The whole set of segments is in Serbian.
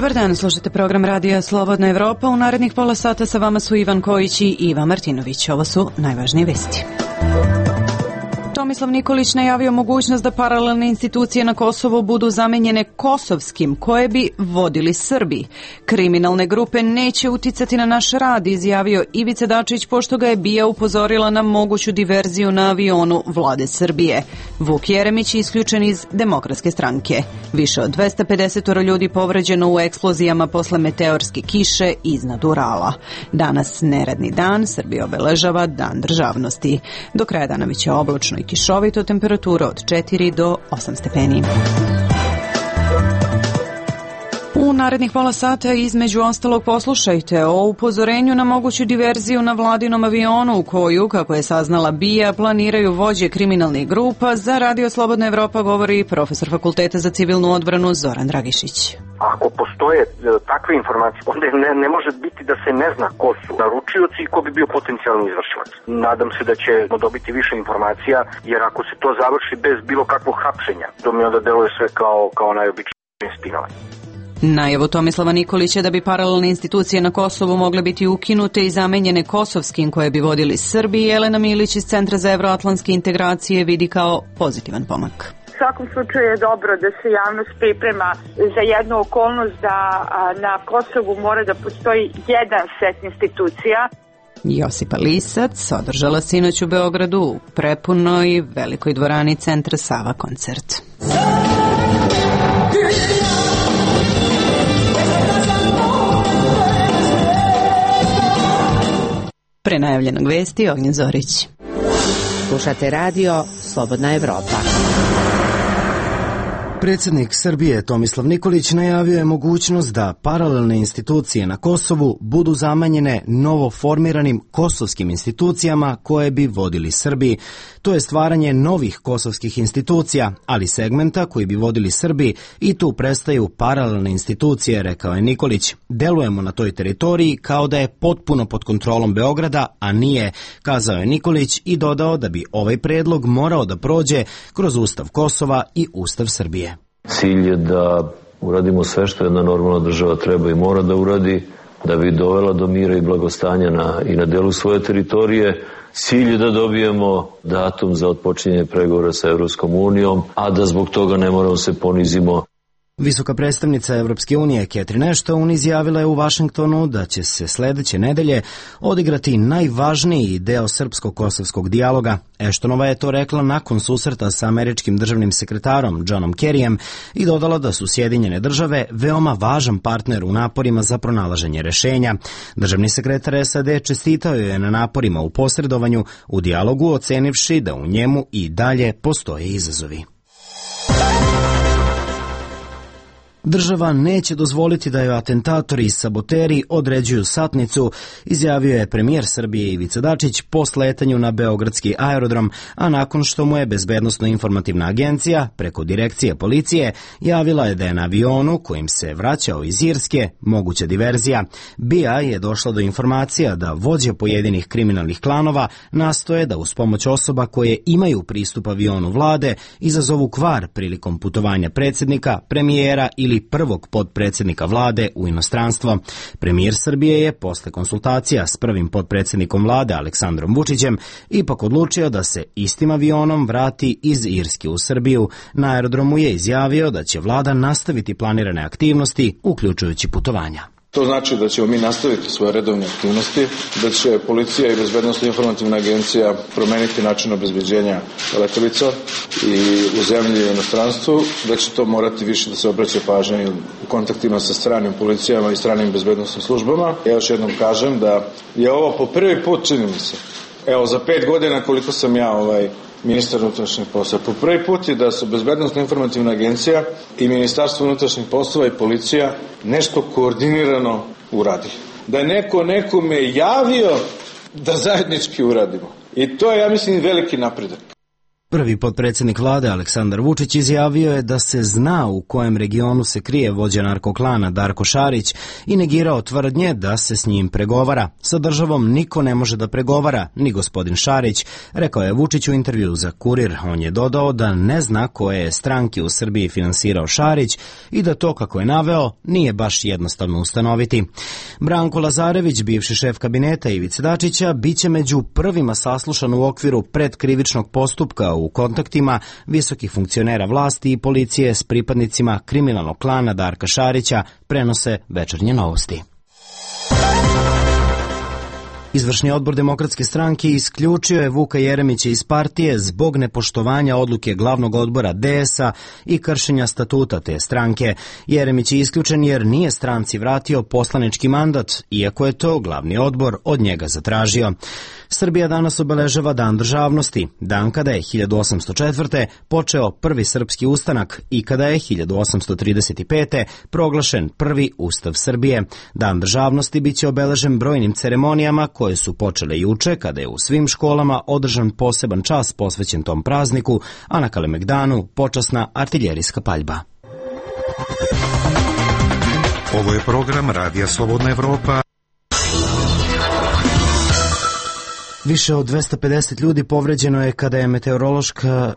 Dobar dan, slušate program radija Slobodna Evropa. U narednih pola sata sa vama su Ivan Kojić i Iva Martinović. Ovo su najvažnije vesti. Tomislav Nikolić najavio mogućnost da paralelne institucije na Kosovu budu zamenjene kosovskim, koje bi vodili Srbi. Kriminalne grupe neće uticati na naš rad, izjavio Ivica Dačić, pošto ga je BIA upozorila na moguću diverziju na avionu vlade Srbije. Vuk Jeremić isključen iz Demokratske stranke. Više od 250 ljudi povređeno u eksplozijama posle meteorske kiše iznad Urala. Danas neradni dan, Srbija obeležava Dan državnosti. Do kraja dana biće oblačno i kišovito, temperatura od 4 do 8 stepeni. U narednih pola sata između ostalog poslušajte o upozorenju na moguću diverziju na vladinom avionu u koju, kako je saznala BIA, planiraju vođe kriminalnih grupa. Za Radio Slobodna Evropa govori profesor Fakulteta za civilnu odbranu Zoran Dragišić. Ako postoje takve informacije, onda ne može biti da se ne zna ko su naručioci i ko bi bio potencijalni izvršilac. Nadam se da ćemo dobiti više informacija, jer ako se to završi bez bilo kakvog hapšenja, to mi onda deluje sve kao najobičnije spinovanje. Najavu Tomislava Nikolića da bi paralelne institucije na Kosovu mogle biti ukinute i zamenjene kosovskim koje bi vodili Srbi, Jelena Milić iz Centra za evroatlantske integracije vidi kao pozitivan pomak. U svakom slučaju je dobro da se javnost priprema za jednu okolnost da na Kosovu mora da postoji jedan set institucija. Josipa Lisac održala sinoć u Beogradu u prepunoj velikoj dvorani Centra Sava koncert. Pre najavljenog vesti, Ognjen Zorić. Slušate radio Slobodna Evropa. Predsjednik Srbije Tomislav Nikolić najavio je mogućnost da paralelne institucije na Kosovu budu zamenjene novoformiranim kosovskim institucijama koje bi vodili Srbi. To je stvaranje novih kosovskih institucija, ali segmenta koji bi vodili Srbi, i tu prestaju paralelne institucije, rekao je Nikolić. Delujemo na toj teritoriji kao da je potpuno pod kontrolom Beograda, a nije, kazao je Nikolić i dodao da bi ovaj predlog morao da prođe kroz Ustav Kosova i Ustav Srbije. Cilj je da uradimo sve što jedna normalna država treba i mora da uradi, da bi dovela do mira i blagostanja i na delu svoje teritorije. Cilj je da dobijemo datum za otpočinjanje pregovora sa Evropskom unijom, a da zbog toga ne moramo se ponizimo. Visoka predstavnica Evropske unije Catherine Ashton izjavila je u Vašingtonu da će se sledeće nedelje odigrati najvažniji deo srpsko-kosovskog dijaloga. Ashtonova je to rekla nakon susreta sa američkim državnim sekretarom Johnom Kerryjem i dodala da su Sjedinjene države veoma važan partner u naporima za pronalaženje rešenja. Državni sekretar SAD čestitao je na naporima u posredovanju u dijalogu, ocenivši da u njemu i dalje postoje izazovi. Država neće dozvoliti da joj atentatori i saboteri određuju satnicu, izjavio je premijer Srbije Ivica Dačić po sletanju na beogradski aerodrom, a nakon što mu je Bezbednosno-informativna agencija preko direkcije policije javila je da je na avionu kojim se vraćao iz Irske moguća diverzija. BIA je došla do informacija da vođe pojedinih kriminalnih klanova nastoje da uz pomoć osoba koje imaju pristup avionu vlade izazovu kvar prilikom putovanja predsjednika, premijera ili prvog potpredsjednika vlade u inostranstvo. Premijer Srbije je posle konsultacija s prvim potpredsjednikom vlade Aleksandrom Vučićem ipak odlučio da se istim avionom vrati iz Irske u Srbiju. Na aerodromu je izjavio da će vlada nastaviti planirane aktivnosti, uključujući putovanja. To znači da ćemo mi nastaviti svoje redovne aktivnosti, da će policija i Bezbednosno-informativna agencija promeniti način obezbeđenja letelica i u zemlji i u inostranstvu, da će to morati više da se obraća pažnja u kontaktima sa stranim policijama i stranim bezbednosnim službama. Ja još jednom kažem da je ovo po prvi put, čini mi se, za 5 godina koliko sam ja ministar unutrašnjih poslova. Po prvi put je da su Bezbednosno-informativna agencija i Ministarstvo unutrašnjih poslova i policija nešto koordinirano uradi. Da je neko nekome javio da zajednički uradimo. I to je, ja mislim, veliki napredak. Prvi potpredsjednik vlade Aleksandar Vučić izjavio je da se zna u kojem regionu se krije vođa narkoklana Darko Šarić i negirao tvrdnje da se s njim pregovara. Sa državom niko ne može da pregovara, ni gospodin Šarić, rekao je Vučić u intervju za Kurir. On je dodao da ne zna koje stranke u Srbiji finansirao Šarić i da to, kako je naveo, nije baš jednostavno ustanoviti. Branko Lazarević, bivši šef kabineta Ivice Dačića, biće među prvima saslušan u okviru predkrivičnog postupka u kontaktima visokih funkcionera vlasti i policije s pripadnicima kriminalnog klana Darka Šarića, prenose Večernje novosti. Izvršni odbor Demokratske stranke isključio je Vuka Jeremića iz partije zbog nepoštovanja odluke glavnog odbora DS-a i kršenja statuta te stranke. Jeremić je isključen jer nije stranci vratio poslanički mandat, iako je to glavni odbor od njega zatražio. Srbija danas obeležava Dan državnosti, dan kada je 1804. počeo prvi srpski ustanak i kada je 1835. proglašen prvi Ustav Srbije. Dan državnosti biće obeležen brojnim ceremonijama koje su počele juče, kada je u svim školama održan poseban čas posvećen tom prazniku, a na Kalemegdanu počasna artiljerijska paljba. Ovo je program Radija Slobodna Evropa. Više od 250 ljudi povređeno je kada je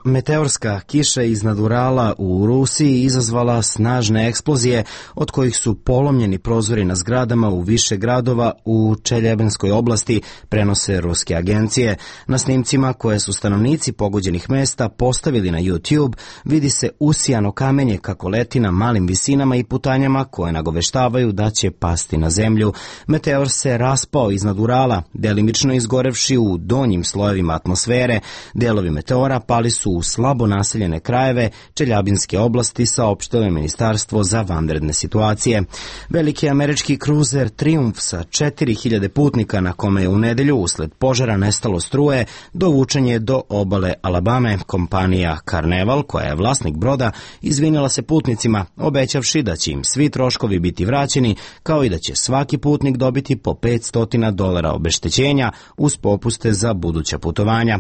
meteorska kiša iznad Urala u Rusiji izazvala snažne eksplozije, od kojih su polomljeni prozori na zgradama u više gradova u Čeljebenskoj oblasti, prenose ruske agencije. Na snimcima koje su stanovnici pogođenih mesta postavili na YouTube vidi se usijano kamenje kako leti na malim visinama i putanjama koje nagoveštavaju da će pasti na zemlju. Meteor se raspao iznad Urala, delimično izgorevši u donjim slojevima atmosfere. Delovi meteora pali su u slabo naseljene krajeve Čeljabinske oblasti, saopštilo je Ministarstvo za vanredne situacije. Veliki američki kruzer Triumf sa 4000 putnika, na kome je u nedelju usled požara nestalo struje, dovučen je do obale Alabame. Kompanija Carnival, koja je vlasnik broda, izvinila se putnicima, obećavši da će im svi troškovi biti vraćeni, kao i da će svaki putnik dobiti po $500 obeštećenja uz popuste za buduća putovanja.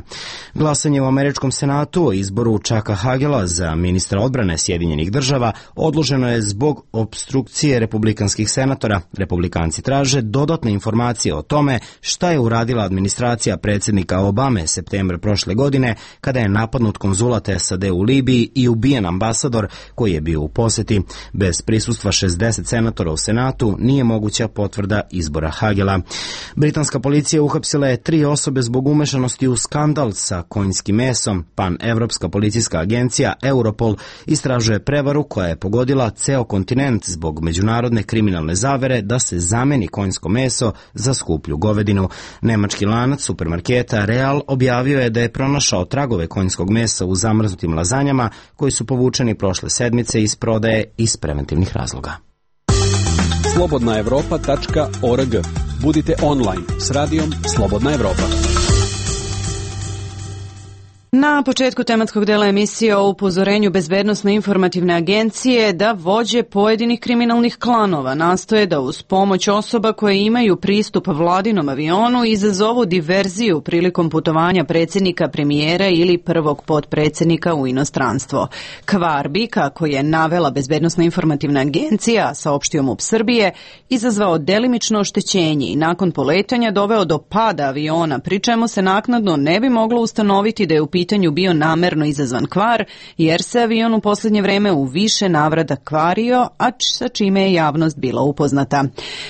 Glasanje u američkom senatu o izboru Chucka Hagela za ministra odbrane Sjedinjenih država odloženo je zbog opstrukcije republikanskih senatora. Republikanci traže dodatne informacije o tome šta je uradila administracija predsjednika Obame septembra prošle godine, kada je napadnut konzulat SAD u Libiji i ubijen ambasador koji je bio u poseti. Bez prisustva 60 senatora u senatu nije moguća potvrda izbora Hagela. Britanska policija uhapsila je 3 osobe zbog umešanosti u skandal sa konjskim mesom. Pan-evropska policijska agencija Europol istražuje prevaru koja je pogodila ceo kontinent zbog međunarodne kriminalne zavere da se zameni konjsko meso za skuplju govedinu. Nemački lanac supermarketa Real objavio je da je pronašao tragove konjskog mesa u zamrznutim lazanjama koji su povučeni prošle sedmice iz prodaje iz preventivnih razloga. slobodnaevropa.org. Budite online s radijom Slobodna Evropa. Na početku tematskog dela emisije o upozorenju Bezbednosno-informativne agencije da vođe pojedinih kriminalnih klanova nastoje da uz pomoć osoba koje imaju pristup vladinom avionu izazovu diverziju prilikom putovanja predsjednika, premijera ili prvog potpredsjednika u inostranstvo. Kvar bi, kako je navela Bezbednosno-informativna agencija, saopštio MUP Srbije, izazvao delimično oštećenje i nakon poletanja doveo do pada aviona, pri čemu se naknadno ne bi moglo ustanoviti da je u pitanju bio namerno izazvan kvar, jer se avion u posljednje vreme u više navrata kvario, a sa čime je javnost bila upoznata.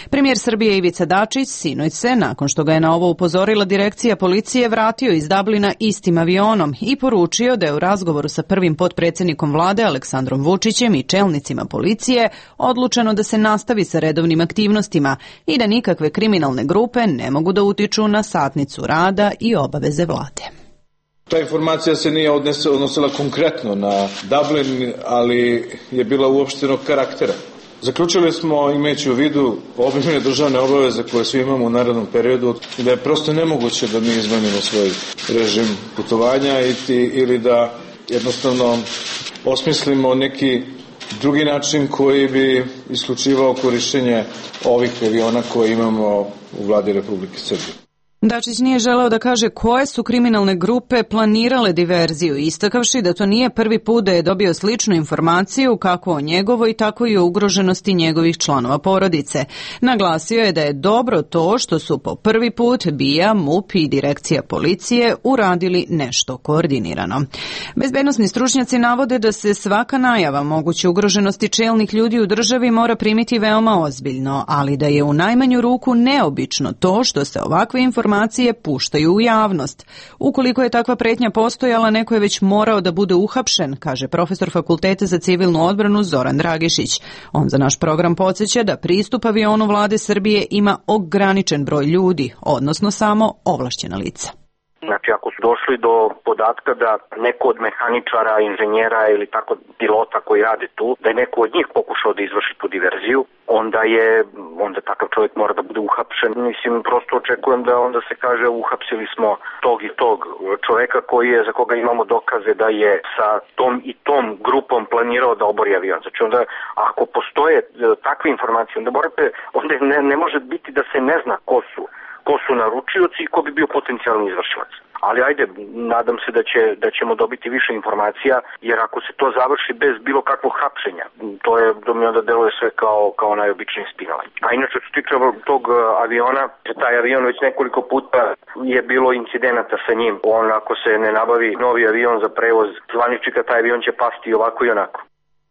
Premijer Srbije Ivica Dačić sinoć se, nakon što ga je na ovo upozorila direkcija policije, vratio iz Dublina istim avionom i poručio da je u razgovoru sa prvim potpredsjednikom vlade Aleksandrom Vučićem i čelnicima policije odlučeno da se nastavi sa redovnim aktivnostima i da nikakve kriminalne grupe ne mogu da utiču na satnicu rada i obaveze vlade. Ta informacija se nije odnosila konkretno na Dublin, ali je bila uopštenog karaktera. Zaključili smo, imajući u vidu obimne državne obaveze koje svi imamo u narednom periodu, da je prosto nemoguće da mi izmenimo svoj režim putovanja ili da jednostavno osmislimo neki drugi način koji bi isključivao korišćenje ovih aviona koje imamo u vladi Republike Srbije. Dačić nije želeo da kaže koje su kriminalne grupe planirale diverziju, istakavši da to nije prvi put da je dobio sličnu informaciju kako o njegovoj, tako i o ugroženosti njegovih članova porodice. Naglasio je da je dobro to što su po prvi put BIA, MUP i Direkcija policije uradili nešto koordinirano. Bezbednosni stručnjaci navode da se svaka najava moguće ugroženosti čelnih ljudi u državi mora primiti veoma ozbiljno, ali da je u najmanju ruku neobično to što se ovakve informacije puštaju u javnost. Ukoliko je takva pretnja postojala, neko je već morao da bude uhapšen, kaže profesor Fakulteta za civilnu odbranu Zoran Dragišić. On za naš program podsjeća da pristup avionu vlade Srbije ima ograničen broj ljudi, odnosno samo ovlašćena lica. Znači, ako su došli do podatka da neko od mehaničara, inženjera ili tako pilota koji rade tu, da je neko od njih pokušao da izvrši tu diverziju, onda takav čovjek mora da bude uhapšen. Mislim, prosto očekujem da onda se kaže uhapsili smo tog i tog čovjeka za koga imamo dokaze da je sa tom i tom grupom planirao da obori avion. Znači, onda ako postoje takve informacije, onda ne može biti da se ne zna ko su naručioci i ko bi bio potencijalni izvršilac. Ali ajde, nadam se da ćemo dobiti više informacija, jer ako se to završi bez bilo kakvog hapšenja, to mi onda deluje sve kao najobičnije spinovanje. A inače, što se tiče tog aviona, taj avion već nekoliko puta je bilo incidenata sa njim. Ako se ne nabavi novi avion za prevoz zvaničnika, taj avion će pasti ovako i onako.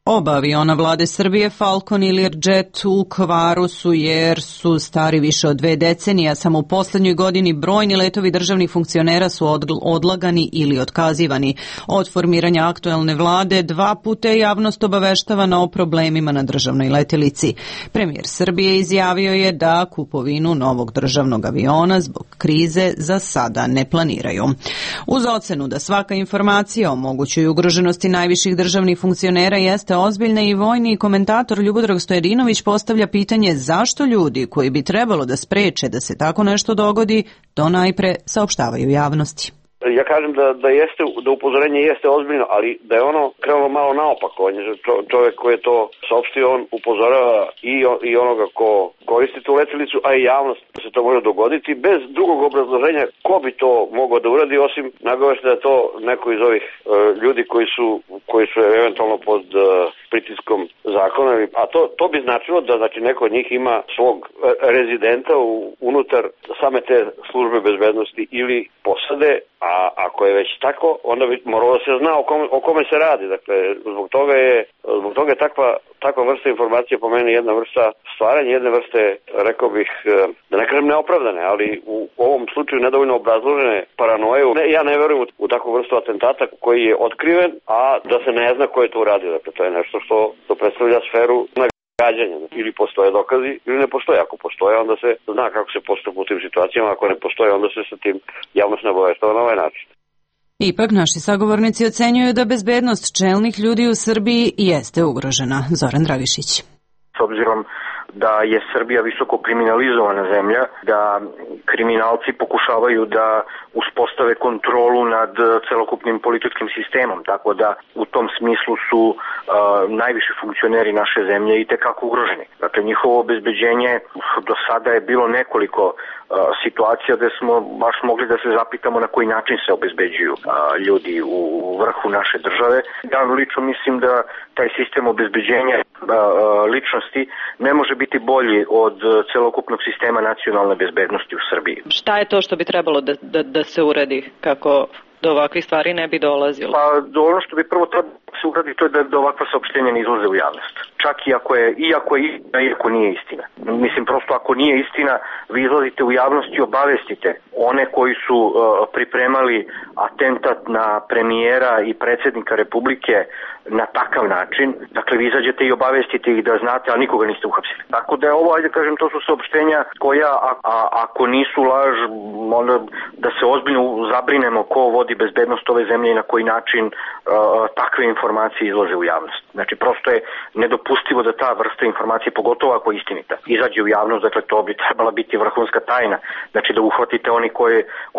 Oba aviona vlade Srbije, Falcon i Learjet, u kvaru su jer su stari više od 2 decenije, a samo u poslednjoj godini brojni letovi državnih funkcionera su odlagani ili otkazivani. Od formiranja aktuelne vlade 2 puta je javnost obaveštavana o problemima na državnoj letelici. Premijer Srbije izjavio je da kupovinu novog državnog aviona zbog krize za sada ne planiraju. Uz ocenu da svaka informacija o mogućoj ugroženosti najviših državnih funkcionera jeste ozbiljna, i vojni komentator Ljubodrag Stojadinović postavlja pitanje zašto ljudi koji bi trebalo da spreče da se tako nešto dogodi, to najpre saopštavaju javnosti. Ja kažem da upozorenje jeste ozbiljno, ali da je ono krenulo malo naopako. On je čovjek koji je to saopštio, on upozorava i onoga ko koristi tu letelicu, a i javnost da se to može dogoditi bez drugog obrazloženja ko bi to mogao da uradi, osim nagovešta da je to neko iz ovih ljudi koji su eventualno pod pritiskom zakona. A to bi značilo da neko od njih ima svog rezidenta unutar same te službe bezbednosti ili posade. A ako je već tako, onda bi moralo se zna o kome se radi. Dakle, zbog toga je takva vrsta informacije po meni jedna vrsta stvaranja, jedne vrste, rekao bih, da ne kažem neopravdane, ali u ovom slučaju nedovoljno obrazložene paranoje. Ja ne verujem u takvu vrstu atentata koji je otkriven, a da se ne zna ko je to uradio. Dakle, to je nešto što predstavlja sferu gađanja. Ili postoje dokazi ili ne postoje. Ako postoje, onda se zna kako se postupa u tim situacijama. Ako ne postoje, onda se sa tim javnost ne obaveštava na ovaj način. Ipak naši sagovornici ocenjuju da bezbednost čelnih ljudi u Srbiji jeste ugrožena. Zoran Dragišić. S obzirom da je Srbija visoko kriminalizovana zemlja, da kriminalci pokušavaju da uspostave kontrolu nad celokupnim političkim sistemom, tako da u tom smislu su najviši funkcioneri naše zemlje i tekako ugroženi. Dakle, njihovo obezbeđenje do sada je bilo nekoliko situacija da smo baš mogli da se zapitamo na koji način se obezbeđuju ljudi u vrhu naše države. Ja lično mislim da taj sistem obezbeđenja ličnosti ne može biti bolji od celokupnog sistema nacionalne bezbednosti u Srbiji. Šta je to što bi trebalo da se uradi kako do ovakvih stvari ne bi dolazilo? Pa ono što bi prvo trebalo da se uradi, to je da ovakva saopštenja ne izlaze u javnost. Čak iako nije istina. Mislim, prosto ako nije istina, vi izlazite u javnost i obavestite one koji su pripremali atentat na premijera i predsjednika Republike na takav način. Dakle, vi izađete i obavestite ih da znate, ali nikoga niste uhapsili. Tako da je ovo, ajde kažem, to su saopštenja koja, ako nisu laž, onda da se ozbiljno zabrinemo ko vodi bezbednost ove zemlje i na koji način takve informacije izlaze u javnost. Znači, prosto je nedopustivo da ta vrsta informacije, pogotovo ako je istinita, izađe u javnost. Dakle, to bi trebala biti vrhunska tajna. Znači, da uhvatite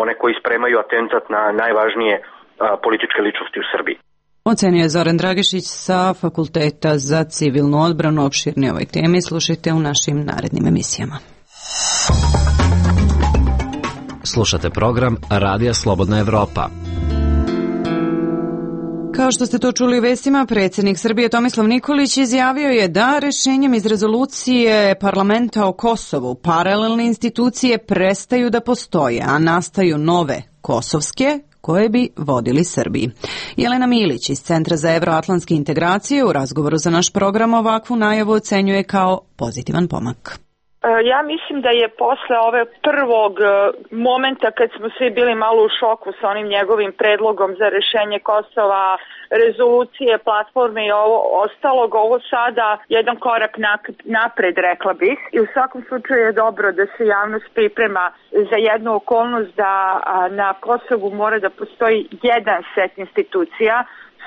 one koji spremaju atentat na najvažnije političke ličnosti u Srbiji. Ocenio je Zoran Dragišić sa Fakulteta za civilnu odbranu. Opširnije ovoj temi slušajte u našim narednim emisijama. Slušate program Radija Slobodna Evropa. Kao što ste to čuli u vestima, predsjednik Srbije Tomislav Nikolić izjavio je da rešenjem iz rezolucije parlamenta o Kosovu paralelne institucije prestaju da postoje, a nastaju nove kosovske koje bi vodili Srbiji. Jelena Milić iz Centra za evroatlantske integracije u razgovoru za naš program ovakvu najavu ocenjuje kao pozitivan pomak. Ja mislim da je posle ove prvog momenta kad smo svi bili malo u šoku sa onim njegovim predlogom za rešenje Kosova, rezolucije, platforme i ovo ostalog, ovo sada jedan korak napred, rekla bih. I u svakom slučaju je dobro da se javnost priprema za jednu okolnost da na Kosovu mora da postoji jedan set institucija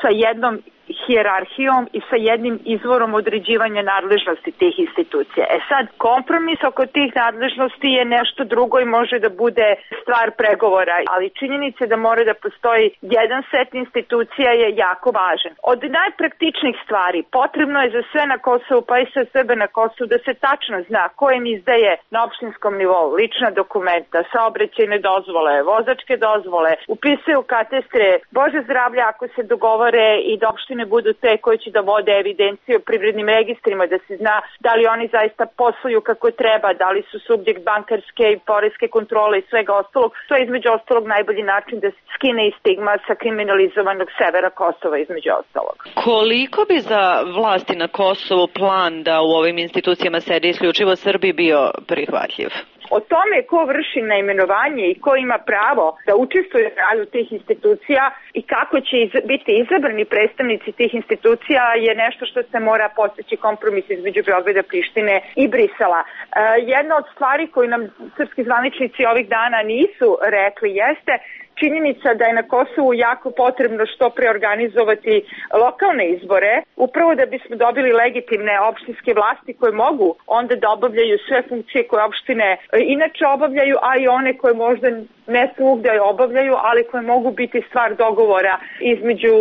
sa jednom hijerarhijom i sa jednim izvorom određivanja nadležnosti tih institucija. Sad, kompromis oko tih nadležnosti je nešto drugo i može da bude stvar pregovora, ali činjenica da mora da postoji jedan set institucija je jako važan. Od najpraktičnijih stvari potrebno je za sve na Kosovu, pa i za sebe na Kosovu, da se tačno zna ko im izdaje na opštinskom nivou lična dokumenta, saobraćajne dozvole, vozačke dozvole, upisuju katastre, Bože zdravlja ako se dogovore i da opštine budu te koji će da vode evidenciju o privrednim registrima, da se zna da li oni zaista posluju kako treba, da li su subjekt bankarske i poreske kontrole i svega ostalog. To je između ostalog najbolji način da se skine i stigma sa kriminalizovanog severa Kosova između ostalog. Koliko bi za vlasti na Kosovu plan da u ovim institucijama sedi isključivo Srbi bio prihvatljiv? O tome ko vrši naimenovanje i ko ima pravo da učestvuje u radu tih institucija i kako će biti izabrani predstavnici tih institucija je nešto što se mora postići kompromis između Beograda, Prištine i Brisela. Jedna od stvari koju nam srpski zvaničnici ovih dana nisu rekli jeste činjenica da je na Kosovu jako potrebno što preorganizovati lokalne izbore, upravo da bismo dobili legitimne opštinske vlasti koje mogu onda da obavljaju sve funkcije koje opštine inače obavljaju, a i one koje možda ne svugde obavljaju, ali koje mogu biti stvar dogovora između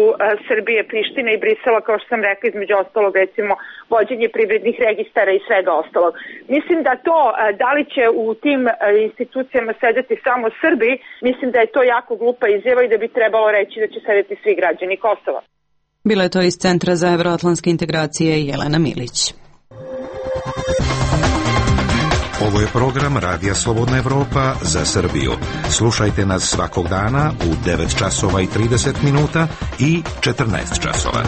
Srbije, Prištine i Brisela, kao što sam rekla, između ostalog recimo vođenje privrednih registara i svega ostalog. Mislim da to, da li će u tim institucijama sedeti samo Srbi, mislim da je to jako glupa izjava i da bi trebalo reći da će sedeti svi građani Kosova. Bila je to iz Centra za evroatlantske integracije Jelena Milić. Ovo je program Radija Slobodna Evropa za Srbiju. Slušajte nas svakog dana u 9 časova i 30 minuta i 14 časova.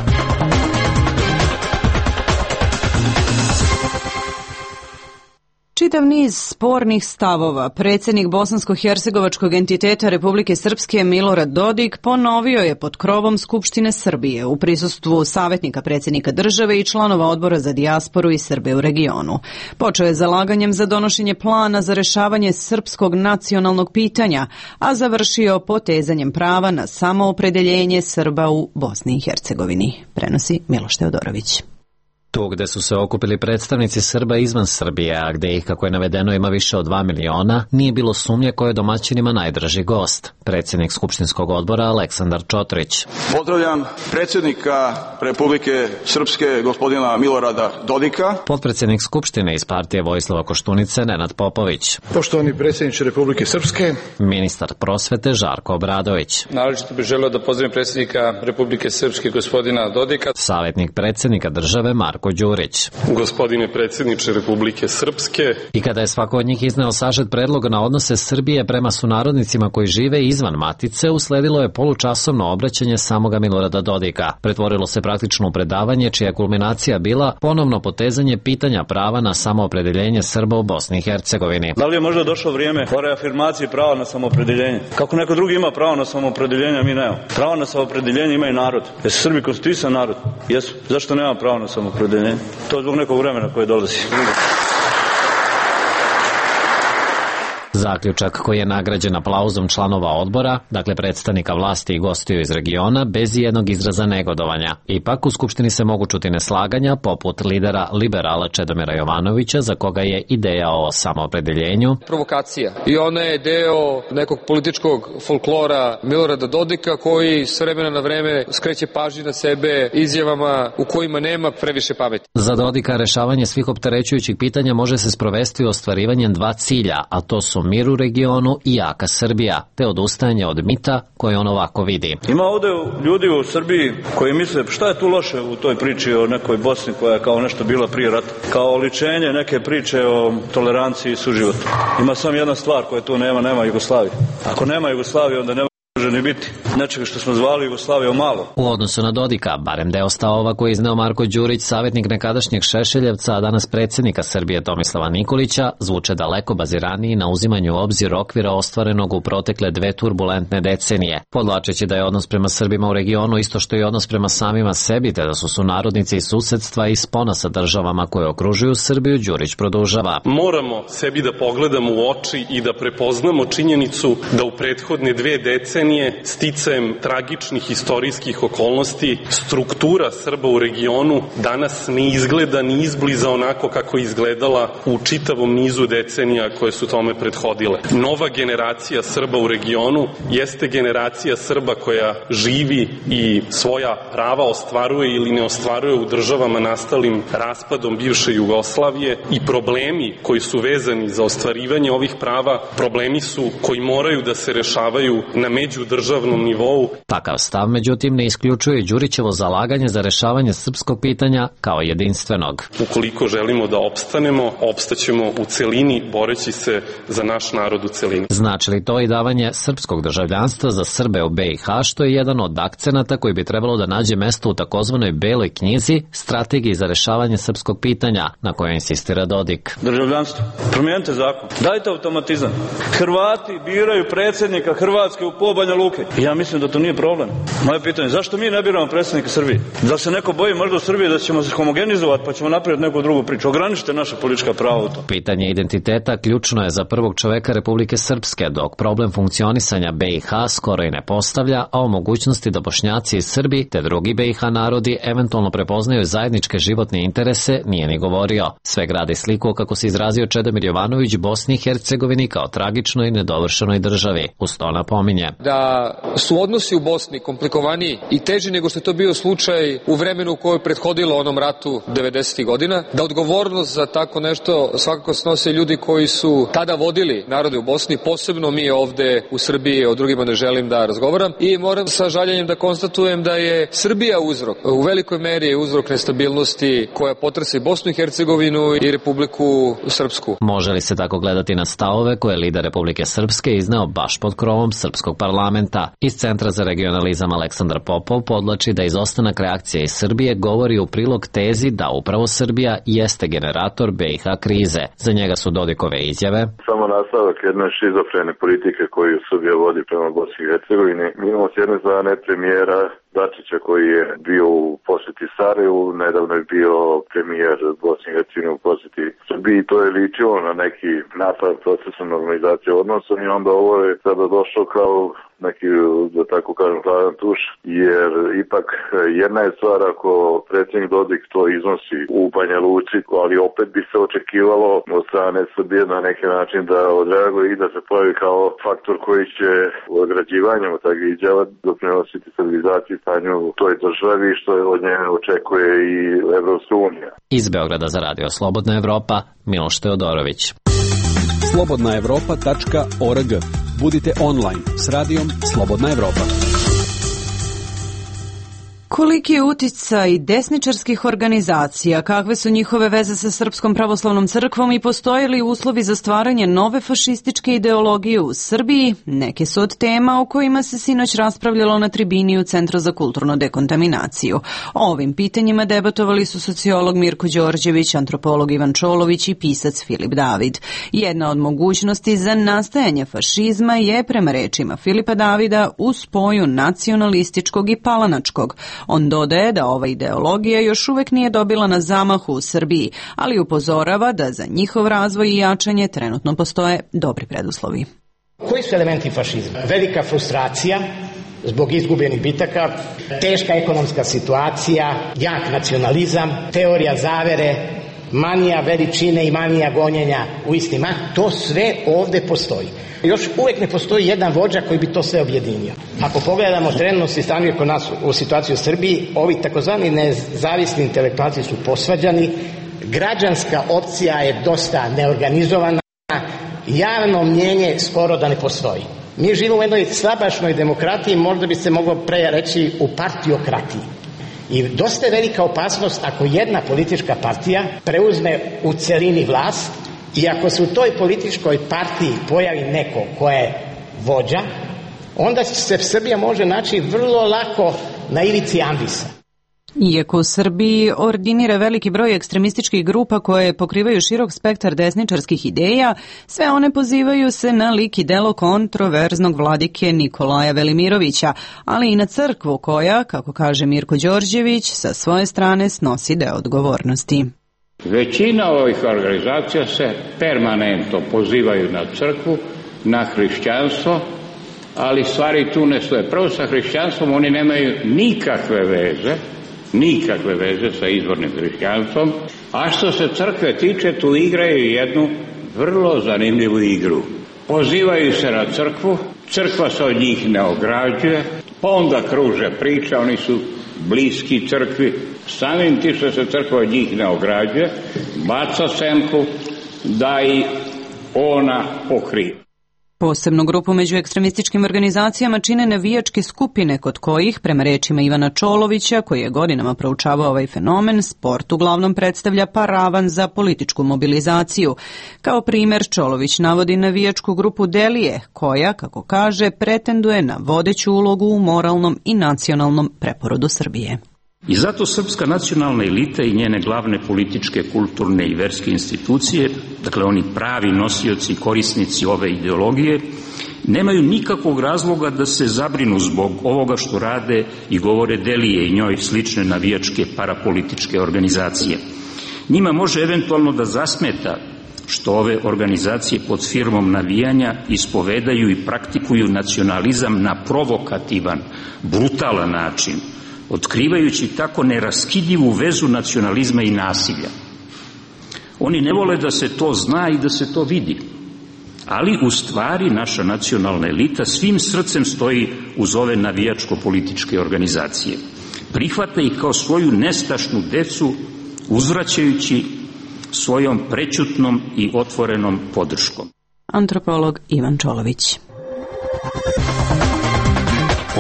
Čitav niz spornih stavova predsjednik bosansko-hercegovačkog entiteta Republike Srpske Milorad Dodik ponovio je pod krovom Skupštine Srbije u prisustvu savjetnika predsjednika države i članova odbora za dijasporu i Srbe u regionu. Počeo je zalaganjem za donošenje plana za rešavanje srpskog nacionalnog pitanja, a završio potezanjem prava na samoopredeljenje Srba u Bosni i Hercegovini, prenosi Miloš Teodorović. Tu gde su se okupili predstavnici Srba izvan Srbije, a gde ih, kako je navedeno, ima više od 2 miliona, nije bilo sumnje ko je domaćinima najdraži gost. Predsjednik Skupštinskog odbora Aleksandar Čotrić. Pozdravljam predsjednika Republike Srpske, gospodina Milorada Dodika. Potpredsjednik Skupštine iz partije Vojislava Koštunice Nenad Popović. Poštovani predsjedniče Republike Srpske. Ministar prosvete Žarko Obradović. Naročito bih želeo da pozdravim predsjednika Republike Srpske, gospodina Dodika. Savjetnik predsjednika države Marko Đurić. Gospodine predsjedniče Republike Srpske. I kada je svako od njih izneo sažet predloga na odnose Srbije prema sunarodnicima koji žive izvan matice, usledilo je polučasovno obraćanje samoga Milorada Dodika. Pretvorilo se praktično u predavanje čija kulminacija bila ponovno potezanje pitanja prava na samoopredeljenje Srba u Bosni i Hercegovini. Da li je možda došlo vrijeme o reafirmaciji prava na samoopredeljenje? Kako neko drugi ima pravo na samoopredeljenje, a mi nemamo. Pravo na samoopredeljenje ima i narod. Jesu Srbi konstituisan narod? Jesu. Zašto nema pravo na samoopredeljenje? To je zbog nekog vremena koje dolazi. Zaključak koji je nagrađen aplauzom članova odbora, dakle predstavnika vlasti i gostiju iz regiona, bez jednog izraza negodovanja. Ipak u Skupštini se mogu čuti neslaganja, poput lidera liberala Čedomira Jovanovića, za koga je ideja o samoopredeljenju provokacija. I ona je deo nekog političkog folklora Milorada Dodika, koji s vremena na vreme skreće pažnju na sebe izjavama u kojima nema previše pameti. Za Dodika rešavanje svih opterećujućih pitanja može se sprovesti ostvari ostvarivanjem 2 cilja, a to su mir u regionu i jaka Srbija, te odustajanje od mita koje on ovako vidi. Ima ovde ljudi u Srbiji koji misle šta je tu loše u toj priči o nekoj Bosni koja je kao nešto bila prije rata, kao oličenje neke priče o toleranciji i suživotu. Ima samo jedna stvar koja tu nema Jugoslavije. Ako nema Jugoslavije, onda nema ni biti nečega što smo zvali Jugoslavijom malo. U odnosu na Dodika, barem deo stavova koji je izneo Marko Đurić, savjetnik nekadašnjeg Šešeljevca, a danas predsjednika Srbije Tomislava Nikolića, zvuče daleko baziraniji na uzimanju u obzir okvira ostvarenog u protekle 2 turbulentne decenije. Podlačeći da je odnos prema Srbima u regionu isto što i odnos prema samima sebi, te da su sunarodnici iz susedstva i spona sa državama koje okružuju Srbiju, Đurić produžava. Moramo sebi da pogledamo u oči i da prepoznamo činjenicu da u prethodne 2 decenije sticajem tragičnih istorijskih okolnosti struktura Srba u regionu danas ne izgleda ni izbliza onako kako je izgledala u čitavom nizu decenija koje su tome prethodile. Nova generacija Srba u regionu jeste generacija Srba koja živi i svoja prava ostvaruje ili ne ostvaruje u državama nastalim raspadom bivše Jugoslavije i problemi koji su vezani za ostvarivanje ovih prava, problemi su koji moraju da se rešavaju na međudržavnom nivou. Takav stav, međutim, ne isključuje Đurićevo zalaganje za rešavanje srpskog pitanja kao jedinstvenog. Ukoliko želimo da opstanemo, opstaćemo u celini, boreći se za naš narod u celini. Znači li to i davanje srpskog državljanstva za Srbe u BiH, što je jedan od akcenata koji bi trebalo da nađe mesto u takozvanoj beloj knjizi Strategiji za rešavanje srpskog pitanja, na kojoj insistira Dodik. Državljanstvo. Promijenite zakon. Dajte automatizam. Hrvati biraju predsjednika Hrvatske u pol Banja Luke. Ja mislim da to nije problem. Moje pitanje, zašto mi ne biramo predsjednika Srbije? Da se neko boji možda u Srbiji da ćemo se homogenizovati pa ćemo napraviti neku drugu priču? Ograničite naša politička prava u to. Pitanje identiteta ključno je za prvog čoveka Republike Srpske, dok problem funkcionisanja BiH skoro i ne postavlja, a o mogućnosti da Bošnjaci i Srbi te drugi BiH narodi eventualno prepoznaju zajedničke životne interese nije ni govorio. Sve gradi sliku kako se izrazio Čedomir Jovanović Bosni i Hercegovini kao tragičnoj i nedovršenoj državi. Uz to napominje da su odnosi u Bosni komplikovaniji i teži nego što je to bio slučaj u vremenu u kojoj je prethodilo onom ratu 90. godina, da odgovornost za tako nešto svakako snose ljudi koji su tada vodili narode u Bosni, posebno mi ovde u Srbiji, o drugima ne želim da razgovaram i moram sa žaljenjem da konstatujem da je Srbija uzrok, u velikoj meri je uzrok nestabilnosti koja potresa i Bosnu i Hercegovinu i Republiku Srpsku. Može li se tako gledati na stavove koje je lider Republike Srpske izneo baš pod krovom Srpskog parlamenta? Iz Centra za regionalizam Aleksandar Popov podlači da izostanak reakcije iz Srbije govori u prilog tezi da upravo Srbija jeste generator BiH krize. Za njega su Dodikove izjave samo nastavak jedne šizofrene politike koju Srbija vodi prema Bosni i Hercegovini. Mi imamo s jedne strane premijera Dačića koji je bio u posjeti Sarajevu, nedavno je bio premijer Bosne i Hercegovine u posjeti Srbiji, to je ličilo na neki napad procesa normalizacije odnosa i onda ovo je sada došlo kao neki, da tako kažem, hladan tuš, jer ipak jedna je stvar ako predsjednik Dodik to iznosi u Banja Luci, ali opet bi se očekivalo od strane Srbije na neki način da odreaguje i da se pojavi kao faktor koji će odrađivanjem od takvih izjava doprinositi stabilizaciji stanju u toj državi, što od nje očekuje i Evropska unija. Iz Beograda za Radio Slobodna Evropa, Miloš Teodorović. slobodnaevropa.org. Budite online s radijom Slobodna Evropa. Koliki je uticaj desničarskih organizacija, kakve su njihove veze sa Srpskom pravoslavnom crkvom i postoje li uslovi za stvaranje nove fašističke ideologije u Srbiji? Neke su od tema o kojima se sinoć raspravljalo na tribini u Centru za kulturnu dekontaminaciju. O ovim pitanjima debatovali su sociolog Mirko Đorđević, antropolog Ivan Čolović i pisac Filip David. Jedna od mogućnosti za nastajanje fašizma je, prema rečima Filipa Davida, u spoju nacionalističkog i palanačkog. On dodaje da ova ideologija još uvek nije dobila na zamahu u Srbiji, ali upozorava da za njihov razvoj i jačanje trenutno postoje dobri preduslovi. Koji su elementi fašizma? Velika frustracija zbog izgubljenih bitaka, teška ekonomska situacija, jak nacionalizam, teorija zavere, manija veličine i manija gonjenja u istima, to sve ovde postoji. Još uvek ne postoji jedan vođa koji bi to sve objedinio. Ako pogledamo trenutno stanje kod nas u situaciji u Srbiji, ovi takozvani nezavisni intelektualci su posvađani, građanska opcija je dosta neorganizovana, javno mnjenje skoro da ne postoji. Mi živimo u jednoj slabašnoj demokratiji, možda bi se moglo pre reći u partiokratiji. I dosta je velika opasnost ako jedna politička partija preuzme u celini vlast i ako se u toj političkoj partiji pojavi neko ko je vođa, onda se Srbija može naći vrlo lako na ivici ambisa. Iako u Srbiji ordinira veliki broj ekstremističkih grupa koje pokrivaju širok spektar desničarskih ideja, sve one pozivaju se na lik i delo kontroverznog vladike Nikolaja Velimirovića, ali i na crkvu koja, kako kaže Mirko Đorđević, sa svoje strane snosi deo odgovornosti. Većina ovih organizacija se permanentno pozivaju na crkvu, na hrišćanstvo, ali stvari tu ne stoje. Prvo sa hrišćanstvom oni nemaju nikakve veze sa izvornim hrišćanstvom, a što se crkve tiče, tu igraju jednu vrlo zanimljivu igru. Pozivaju se na crkvu, crkva se od njih ne ograđuje, pa onda kruže priča, oni su bliski crkvi, samim tim što se crkva od njih ne ograđuje, baca senku da i ona pokrije. Posebnu grupu među ekstremističkim organizacijama čine navijačke skupine kod kojih, prema rečima Ivana Čolovića, koji je godinama proučavao ovaj fenomen, sport uglavnom predstavlja paravan za političku mobilizaciju. Kao primer, Čolović navodi navijačku grupu Delije, koja, kako kaže, pretenduje na vodeću ulogu u moralnom i nacionalnom preporodu Srbije. I zato srpska nacionalna elita i njene glavne političke, kulturne i verske institucije, dakle oni pravi nosioci i korisnici ove ideologije, nemaju nikakvog razloga da se zabrinu zbog ovoga što rade i govore Delije i njoj slične navijačke parapolitičke organizacije. Njima može eventualno da zasmeta što ove organizacije pod firmom navijanja ispovedaju i praktikuju nacionalizam na provokativan, brutalan način, otkrivajući tako neraskidivu vezu nacionalizma i nasilja. Oni ne vole da se to zna i da se to vidi, ali u stvari naša nacionalna elita svim srcem stoji uz ove navijačko-političke organizacije. Prihvata ih kao svoju nestašnu decu, uzvraćajući svojom prećutnom i otvorenom podrškom. Antropolog Ivan Čolović.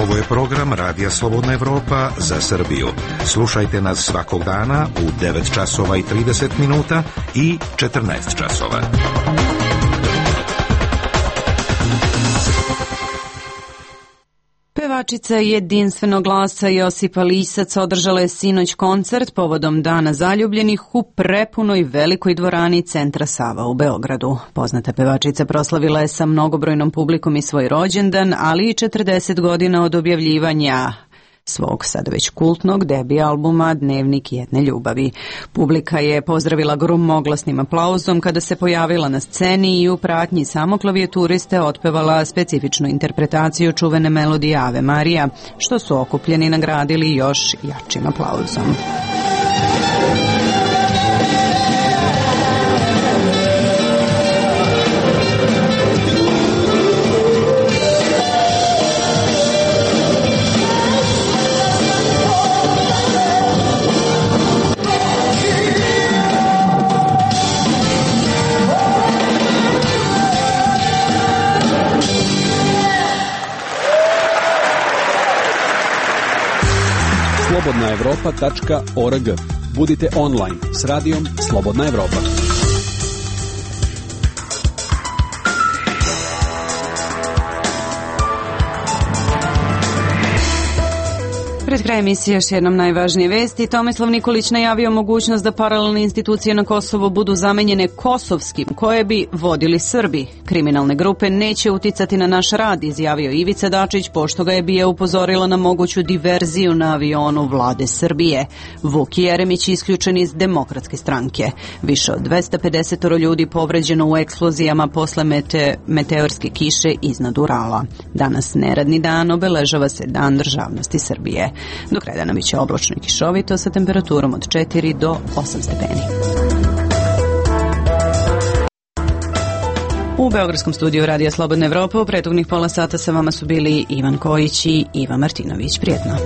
Ovo je program Radija Slobodna Evropa za Srbiju. Slušajte nas svakog dana u 9 časova i 30 minuta i 14 časova. Pevačica jedinstvenog glasa Josipa Lisac održala je sinoć koncert povodom Dana zaljubljenih u prepunoj velikoj dvorani Centra Sava u Beogradu. Poznata pevačica proslavila je sa mnogobrojnom publikom i svoj rođendan, ali i 40 godina od objavljivanja svog sada već kultnog debi albuma Dnevnik jedne ljubavi. Publika je pozdravila gromoglasnim aplauzom kada se pojavila na sceni i u pratnji samo klavijaturiste otpevala specifičnu interpretaciju čuvene melodije Ave Marija, što su okupljeni nagradili još jačim aplauzom. slobodnaevropa.org. Budite online s radijom Slobodna Evropa. Pred kraj emisije još jednom najvažnije vesti. Tomislav Nikolić najavio mogućnost da paralelne institucije na Kosovo budu zamenjene kosovskim, koje bi vodili Srbi. Kriminalne grupe neće uticati na naš rad, izjavio Ivica Dačić, pošto ga je BIA upozorila na moguću diverziju na avionu vlade Srbije. Vuk Jeremić isključen iz Demokratske stranke. Više od 250 ljudi povređeno u eksplozijama posle meteorske kiše iznad Urala. Danas neradni dan, obeležava se Dan državnosti Srbije. Do kraja dana biće oblačno i kišovito sa temperaturom od 4 do 8 stepeni. U beogradskom studiju Radija Slobodna Evropa u prethodnih pola sata sa vama su bili Ivan Kojić i Iva Martinović. Prijetno.